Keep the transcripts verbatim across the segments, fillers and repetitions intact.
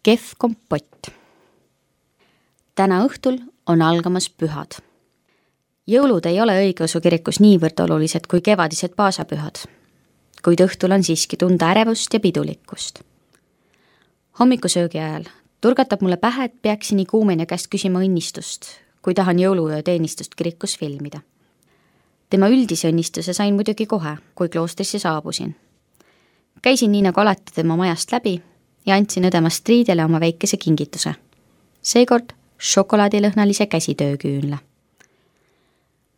Kehv kompott. Täna õhtul on algamas pühad. Jõulud ei ole õigeusu kirikus niivõrd olulised kui kevadised paasapühad, kuid õhtul on siiski tunda ärevust ja pidulikkust. Hommikusöögi ajal turgatab mulle pähe, et peaksin iguumenja käest küsima õnnistust, kui tahan jõuluöö teenistust kirikus filmida. Tema üldise õnnistuse sain muidugi kohe, kui kloostrisse saabusin. Käisin nii nagu alati tema majast läbi ja andsin õdema Striidele oma väikese kingituse. Seekord šokolaadilõhnalise käsitööküünla.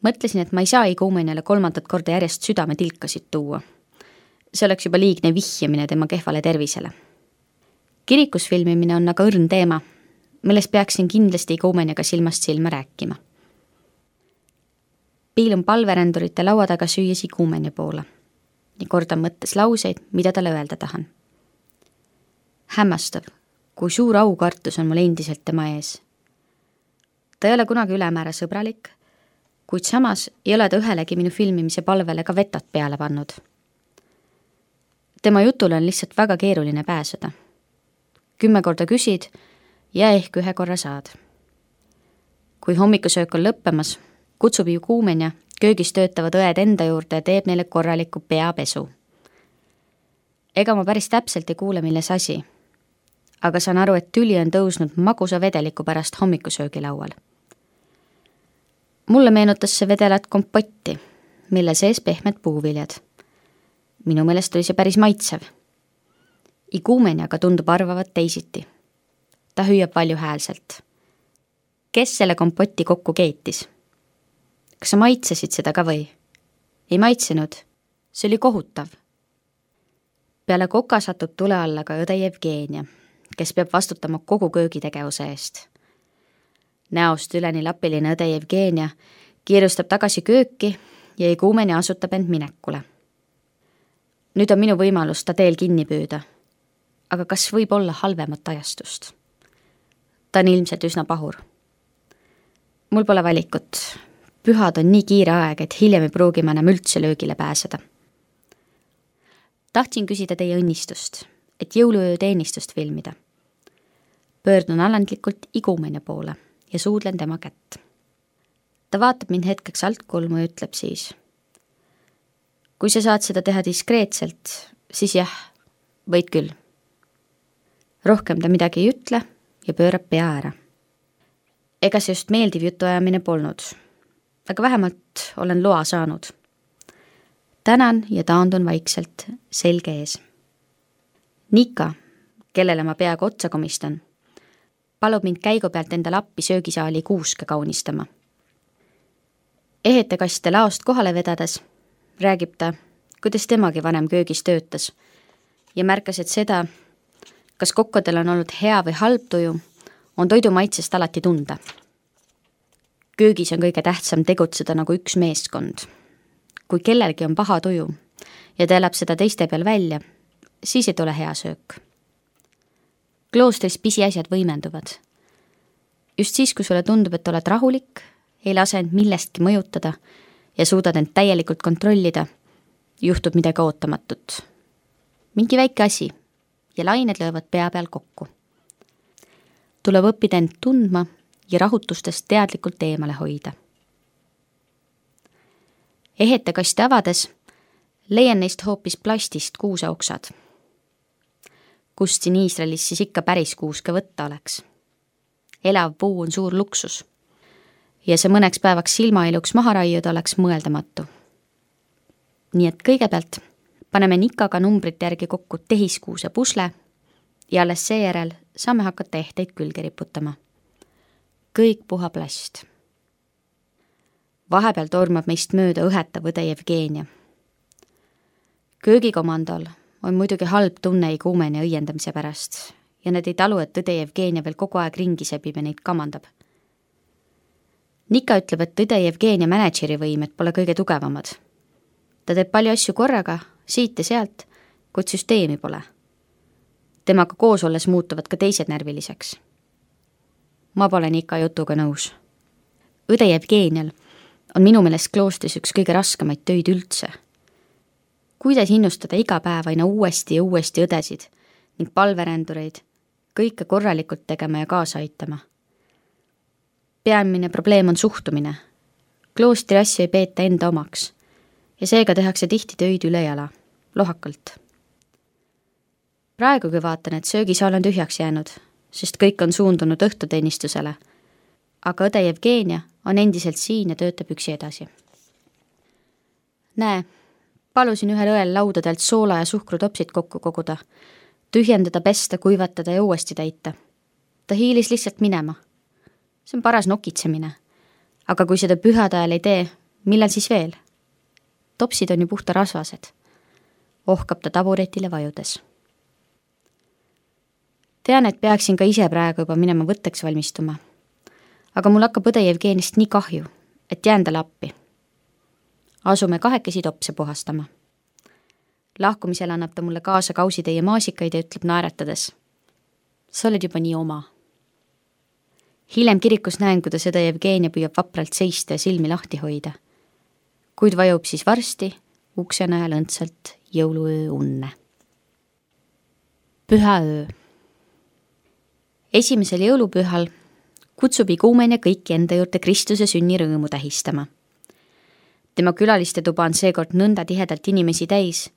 Mõtlesin, et ma ei saa iguumenjale kolmandat korda järjest südametilkasid tuua. See oleks juba liigne vihjamine tema kehvale tervisele. Kirikus filmimine on aga õrn teema, millest peaksin kindlasti iguumenjaga silmast silma rääkima. Piilun palverändurite laua taga süües iguumenja poole ja kordan mõttes lauseid, mida talle öelda tahan. Hämmastav, kui suur aukartus on mul endiselt tema ees. Ta ei ole kunagi ülemäära sõbralik, kuid samas ei ole ta ühelegi minu filmimise palvele ka vetot peale pannud. Tema jutule on lihtsalt väga keeruline pääseda. Kümme korda küsid ja ehk ühe korra saad. Kui hommikusöök on lõppemas, kutsub iguumenja köögis töötavad õed enda juurde ja teeb neile korraliku peapesu. Ega ma päris täpselt ei kuule, milles asi, aga saan aru, et tüli on tõusnud magusa vedeliku pärast hommikusöögi laual. Mulle meenutas see vedelat kompotti, mille sees pehmed puuviljad. Minu meelest oli see päris maitsev. Iguumenjaga tundub arvavat teisiti. Ta hüüab valju häälselt. Kes selle kompotti kokku keetis? Kas sa maitsesid seda ka või? Ei maitsenud. See oli kohutav. Peale koka satub tule alla ka õde Jevgenia, kes peab vastutama kogu köögitegevuse eest. Näost üleni lapiline õde Jevgenia kiirustab tagasi kööki ja iguumenja asutab end minekule. Nüüd on minu võimalus ta teel kinni püüda, aga kas võib olla halvemat ajastust? Ta on ilmselt üsna pahur. Mul pole valikut. Pühad on nii kiire aeg, et hiljem ei pruugi ma enam üldse löögile pääseda. Tahtsin küsida teie õnnistust, et jõuluöö teenistust filmida. Pöördun alandlikult iguumenja poole ja suudlen tema kätt. Ta vaatab mind hetkeks altkulmu ja ütleb siis: kui sa saad seda teha diskreetselt, siis jah, võid küll. Rohkem ta midagi ei ütle ja pöörab pea ära. Ega see just meeldiv jutuajamine polnud, aga vähemalt olen loa saanud. Tänan ja taandun vaikselt selge ees. Nika, kellele ma peaaegu otsa komistan, palub mind käigu pealt enda lappi söögisaali kuuske kaunistama. Ehetekaste laost kohale vedades räägib ta, kuidas temagi vanem köögis töötas ja märkas, et seda, kas kokkodel on olnud hea või halb tuju, on toidu maitsest alati tunda. Köögis on kõige tähtsam tegutseda nagu üks meeskond. Kui kellelgi on paha tuju ja ta elab seda teiste peal välja, siis ei tule hea söök. Kloostris pisiasjad võimenduvad. Just siis, kui sulle tundub, et oled rahulik, ei lase end millestki mõjutada ja suudad end täielikult kontrollida, juhtub midagi ootamatut. Mingi väike asi ja lained löövad pea peal kokku. Tuleb õppida end tundma ja rahutustest teadlikult eemale hoida. Ehetekaste avades leian neist hoopis plastist kuuseoksad. Kust siin Iisraelis siis ikka päris kuuske võtta oleks? Elav puu on suur luksus ja see mõneks päevaks silmailuks maha raiuda oleks mõeldamatu. Nii et kõigepealt paneme Nikaga numbrite järgi kokku tehiskuuse pusle ja alles seejärel saame hakata ehteid külge riputama. Kõik puha plast. Vahepeal tormab meist mööda õhetav õde Jevgenia. Köögikomandol on muidugi halb tunne iguumenja õiendamise pärast ja need ei talu, et õde Jevgenia veel kogu aeg ringi sebib ja neid kamandab. Nika ütleb, et õde Jevgenia manageeri võimed pole kõige tugevamad. Ta teeb palju asju korraga, siit ja sealt, kuid süsteemi pole. Temaga koos olles muutuvad ka teised närviliseks. Ma pole Nika jutuga nõus. Õde Jevgenial on minu meelest kloostris üks kõige raskemaid töid üldse. Kuidas innustada iga päev aina uuesti ja uuesti õdesid ning palverändureid, kõike korralikult tegema ja kaasa aitama. Peamine probleem on suhtumine. Kloostri asju ei peeta enda omaks ja seega tehakse tihti töid üle jala, lohakalt. Praegugi vaatan, et söögisaal on tühjaks jäänud, sest kõik on suundunud õhtuteenistusele, aga õde Jevgenia on endiselt siin ja töötab üksi edasi. Näe, palusin ühel õel laudadelt soola ja suhkrutopsid kokku koguda, tühjendada, pesta, kuivatada ja uuesti täita. Ta hiilis lihtsalt minema. See on paras nokitsemine. Aga kui seda pühade ajal ei tee, millal siis veel? Topsid on ju puhta rasvased. Ohkab ta taburetile vajudes. Tean, et peaksin ka ise praegu juba minema võtteks valmistuma. Aga mul hakkab õde Jevgenist nii kahju, et jään talle appi. Asume kahekesi topse puhastama. Lahkumisel annab ta mulle kaasa kausitäie maasikaid ja ütleb naeratades. Sa oled juba nii oma. Hiljem kirikus näen, kuidas õde Jevgenia püüab vapralt seista ja silmi lahti hoida. Kuid vajub siis varsti ukse najal õndsalt jõuluöö unne. Püha öö. Esimesel jõulupühal kutsub iguumenja kõiki enda juurde Kristuse sünni rõõmu tähistama. Tema külaliste tuba on seekord nõnda tihedalt inimesi täis,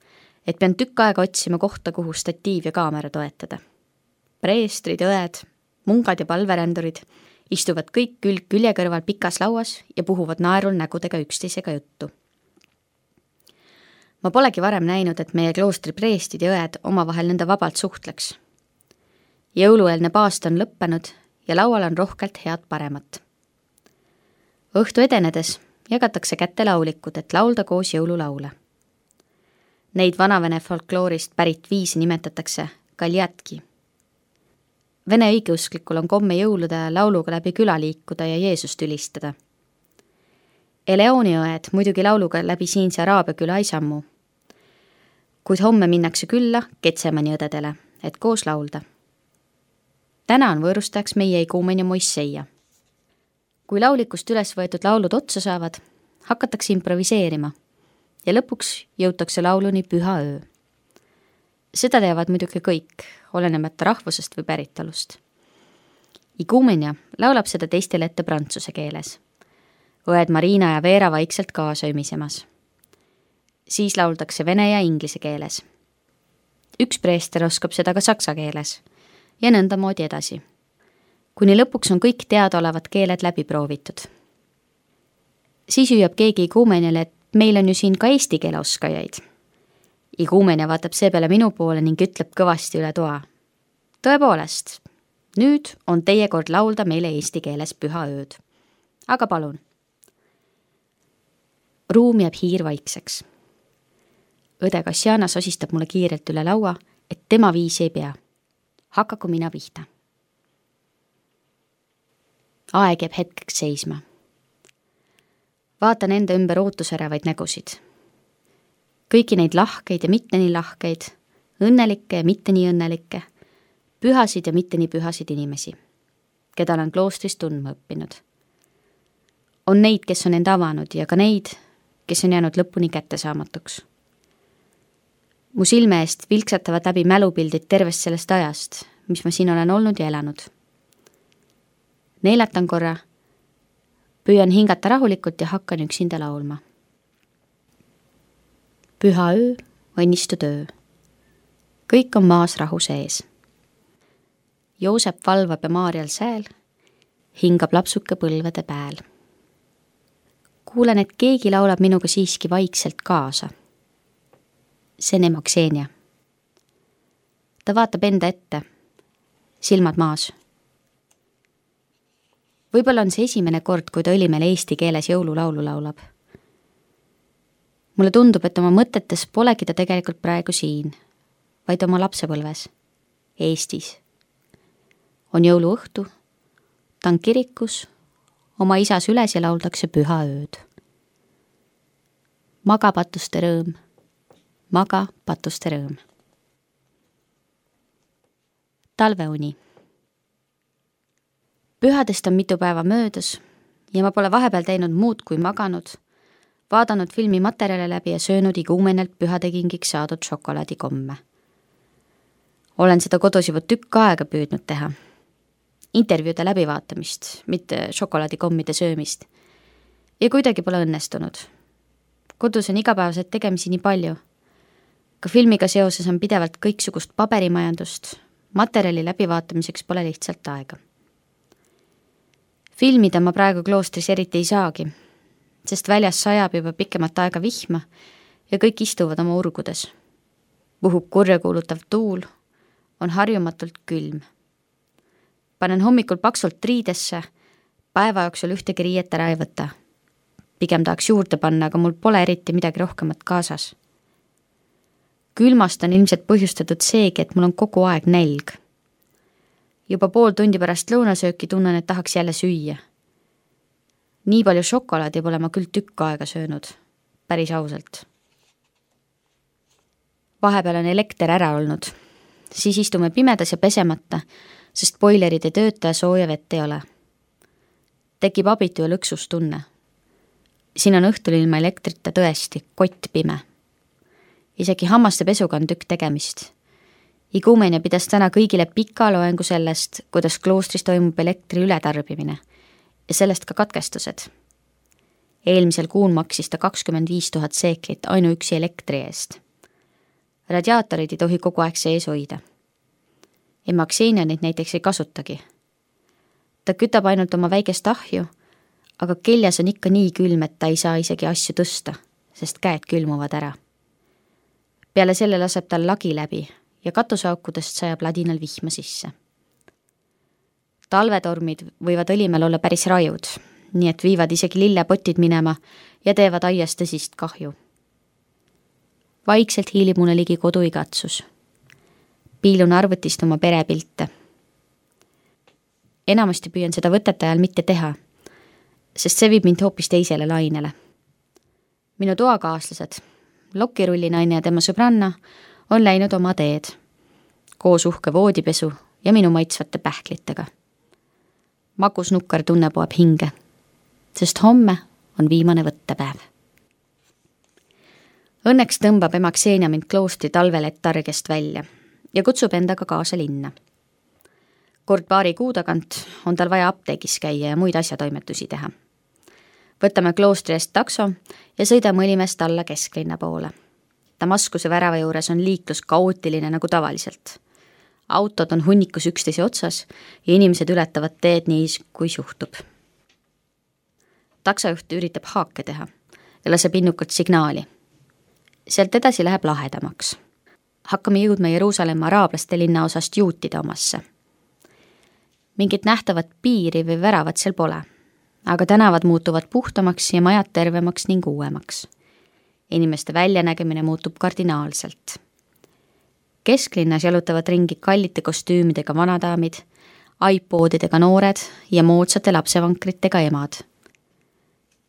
et pean tükk aega otsima kohta, kuhu statiiv ja kaamera toetada. Preestrid, õed, mungad ja palverändurid istuvad kõik külg külje kõrval pikas lauas ja puhuvad naerul nägudega üksteisega juttu. Ma polegi varem näinud, et meie kloostri preestid ja õed omavahel nõnda vabalt suhtleks. Jõulueelne paast on lõppenud ja laual on rohkelt head paremat. Õhtu edenedes jagatakse kätte laulikud, et laulda koos jõululaule. Neid vanavene folkloorist pärit viisi nimetatakse kaljatki. Vene õigeusklikul on komme jõulude lauluga läbi küla liikuda ja Jeesust ülistada. Eleoni õed muidugi lauluga läbi siinse Araabia küla ei sammu. Kuid homme minnakse külla Ketsemani õdedele, et koos laulda. Täna on võõrustajaks meie iguumenja Moisseia. Kui laulikust üles võetud laulud otsa saavad, hakatakse improviseerima ja lõpuks jõutakse lauluni Püha öö. Seda teavad muidugi kõik, olenemata rahvusest või päritolust. Iguumenja laulab seda teistele ette prantsuse keeles. Õed Marina ja Veera vaikselt kaasa ümisemas. Siis lauldakse vene ja inglise keeles. Üks preester oskab seda ka saksa keeles ja nõnda moodi edasi. Kuni lõpuks on kõik teadaolevad keeled läbi proovitud. Siis hüüab keegi iguumenjale, et meil on ju siin ka eesti keele oskajaid. Iguumenja vaatab seepeale minu poole ning ütleb kõvasti üle toa. Tõepoolest, nüüd on teie kord laulda meile eesti keeles püha ööd. Aga palun. Ruum jääb hiir vaikseks. Õde Kassiana sosistab mulle kiirelt üle laua, et tema viisi ei pea. Hakaku mina pihta. Aeg jääb hetkeks seisma. Vaatan enda ümber ootusärevaid nägusid. Kõiki neid lahkeid ja mitte nii lahkeid, õnnelikke ja mitte nii õnnelikke, pühasid ja mitte nii pühasid inimesi, keda olen kloostris tundma õppinud. On neid, kes on end avanud ja ka neid, kes on jäänud lõpuni kättesaamatuks. Mu silme eest vilksatavad läbi mälupildid tervest sellest ajast, mis ma siin olen olnud ja elanud. Neelatan korra, püüan hingata rahulikult ja hakkan üksinda laulma. Püha öö, õnnistu töö. Kõik on maas rahu sees. Joosep valvab ja Maarjal sääl, hingab lapsuke põlvede pääl. Kuulen, et keegi laulab minuga siiski vaikselt kaasa. See on ema Ksenia. Ta vaatab enda ette, silmad maas. Võib-olla on see esimene kord, kui ta õlimele eesti keeles jõululaulu laulab. Mulle tundub, et oma mõtetes polegi ta tegelikult praegu siin, vaid oma lapsepõlves, Eestis. On jõuluõhtu, ta on kirikus, oma isas üles ja lauldakse püha ööd. Maga patuste rõõm, maga patuste rõõm. Talveuni. Pühadest on mitu päeva möödas ja ma pole vahepeal teinud muud kui maganud, vaadanud filmi materjale läbi ja söönud iguumenelt pühadekingiks saadud šokolaadikomme. Olen seda kodus juba tükk aega püüdnud teha. Intervjuude läbivaatamist, mitte šokolaadikommide söömist. Ja kuidagi pole õnnestunud. Kodus on igapäevaselt tegemisi nii palju. Ka filmiga seoses on pidevalt kõiksugust paberimajandust, materjali läbivaatamiseks pole lihtsalt aega. Filmida ma praegu kloostris eriti ei saagi, sest väljas sajab juba pikemat aega vihma ja kõik istuvad oma urgudes. Puhub kurja kuulutav tuul, on harjumatult külm. Panen hommikul paksult riidesse, päeva jooksul ühtegi riiet ära ei võta. Pigem tahaks juurde panna, aga mul pole eriti midagi rohkemat kaasas. Külmast on ilmselt põhjustatud seegi, et mul on kogu aeg nälg. Juba pool tundi pärast lõunasööki tunnen, et tahaks jälle süüa. Nii palju šokolaadi pole ma küll tükk aega söönud, päris ausalt. Vahepeal on elekter ära olnud, siis istume pimedas ja pesemata, sest boilerid ei tööta ja sooja vett ei ole. Tekib abitu ja lõksustunne. Siin on õhtul ilma elektrita tõesti kott pime. Isegi hammaste pesuga on tükk tegemist. Igumenia pidas täna kõigile pika loengu sellest, kuidas kloostris toimub elektri ületarbimine ja sellest ka katkestused. Eelmisel kuun maksis ta kakskümmend viis tuhat seeklit ainuüksi elektri eest. Radiaatorid ei tohi kogu aeg sees hoida. Ema Ksenia neid näiteks ei kasutagi. Ta kütab ainult oma väikest ahju, aga keljas on ikka nii külm, et ta ei saa isegi asju tõsta, sest käed külmuvad ära. Peale selle laseb tal lagi läbi ja katuseaukudest sajab ladinal vihma sisse. Talvetormid võivad õlimel olla päris rajud, nii et viivad isegi lillepotid minema ja teevad aias tõsist kahju. Vaikselt hiilib mulle ligi kodu igatsus. Piilun arvutist oma perepilte. Enamasti püüan seda võtete ajal mitte teha, sest see viib mind hoopis teisele lainele. Minu toakaaslased, lokirullinaine ja tema sõbranna on läinud oma teed, koos uhke voodipesu ja minu maitsvate pähklitega. Magus nukker tunne poeb hinge, sest homme on viimane võttepäev. Õnneks tõmbab ema Ksenia mind kloostri talvelettargest välja ja kutsub endaga kaasa linna. Kord paari kuu tagant on tal vaja apteegis käia ja muid asjatoimetusi teha. Võtame kloostri eest takso ja sõidame Õlimest alla kesklinna poole. Damaskuse värava juures on liiklus kaootiline nagu tavaliselt. Autod on hunnikus üksteise otsas ja inimesed ületavad teed nii, kui suhtub. Taksojuht üritab haake teha ja laseb innukalt signaali. Sealt edasi läheb lahedamaks. Hakkame jõudma Jeruusalemma araablaste linna osast juutide omasse. Mingit nähtavat piiri või väravat seal pole, aga tänavad muutuvad puhtamaks ja majad tervemaks ning uuemaks. Inimeste väljanägemine muutub kardinaalselt. Kesklinnas jalutavad ringi kallite kostüümidega vanadaamid, iPodidega noored ja moodsate lapsevankritega emad.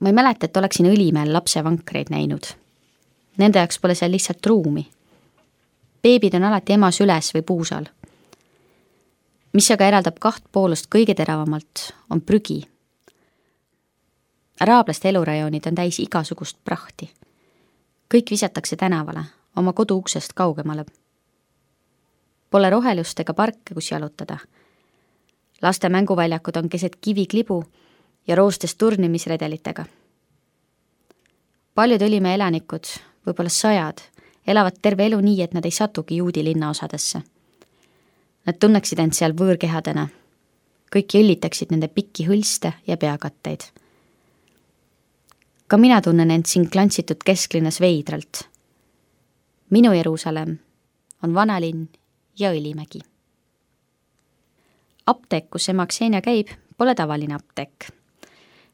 Ma ei mäleta, et oleksin Õlimäel lapsevankreid näinud. Nende jaoks pole seal lihtsalt ruumi. Beebid on alati ema süles või puusal. Mis aga eraldab kaht poolust kõige teravamalt, on prügi. Araablaste elurajoonid on täis igasugust prahti. Kõik visatakse tänavale, oma kodu uksest kaugemale. Pole rohelust ega parke, kus jalutada. Laste mänguväljakud on keset kiviklibu ja roostes turnimisredelitega. Paljud Õlimäe elanikud, võib-olla sajad, elavad terve elu nii, et nad ei satugi juudi linnaosadesse. Nad tunneksid end seal võõrkehadena. Kõik jõllitaksid nende pikki hõlste ja peakatteid. Ka mina tunnen end siin klantsitud kesklinnas veidralt. Minu Jeruusalemm on vanalinn ja Õlimägi. Apteek, kus ema Ksenia käib, pole tavaline apteek.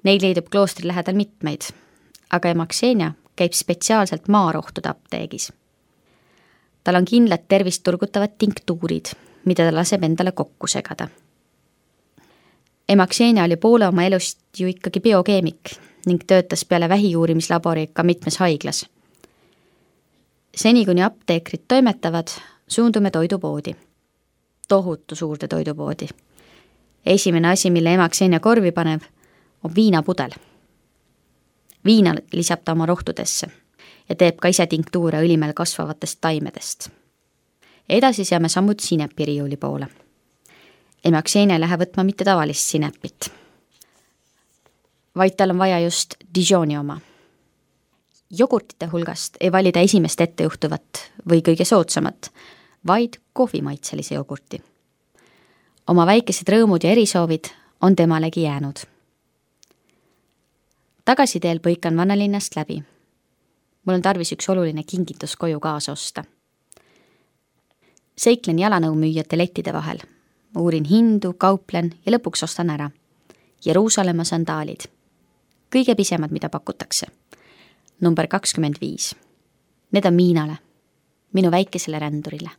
Neid leidub kloostri lähedal mitmeid, aga ema Ksenia käib spetsiaalselt maarohtude apteegis. Tal on kindlad tervist turgutavad tinktuurid, mida ta laseb endale kokku segada. Ema Ksenia oli poole oma elust ju ikkagi biokeemik ning töötas peale vähiuurimislabori ka mitmes haiglas. Seni kuni apteekrid toimetavad, suundume toidupoodi. Tohutu suurde toidupoodi. Esimene asi, mille ema Ksenia korvi panev, on viinapudel. Viina lisab ta oma rohtudesse ja teeb ka ise tinktuure Õlimäel kasvavatest taimedest. edasi seame sammud sinepiriiuli poole. ema Xenia ei lähe võtma mitte tavalist sinepit, vaid tal on vaja just Dijoni oma. Jogurtite hulgast ei valida esimest ettejuhtuvat või kõige soodsamat, vaid kohvimaitselise jogurti. Oma väikesed rõõmud ja erisoovid on temalegi jäänud. Tagasiteel põikan Vannalinnast läbi. Mul on tarvis üks oluline kingitus koju kaasa osta. Seiklen jalanõumüüjate lettide vahel. Uurin hindu, kauplen ja lõpuks ostan ära. Jeruusalemma sandaalid. Kõige pisemad, mida pakutakse. Number kakskümmend viis. Need on Miinale, minu väikesele rändurile.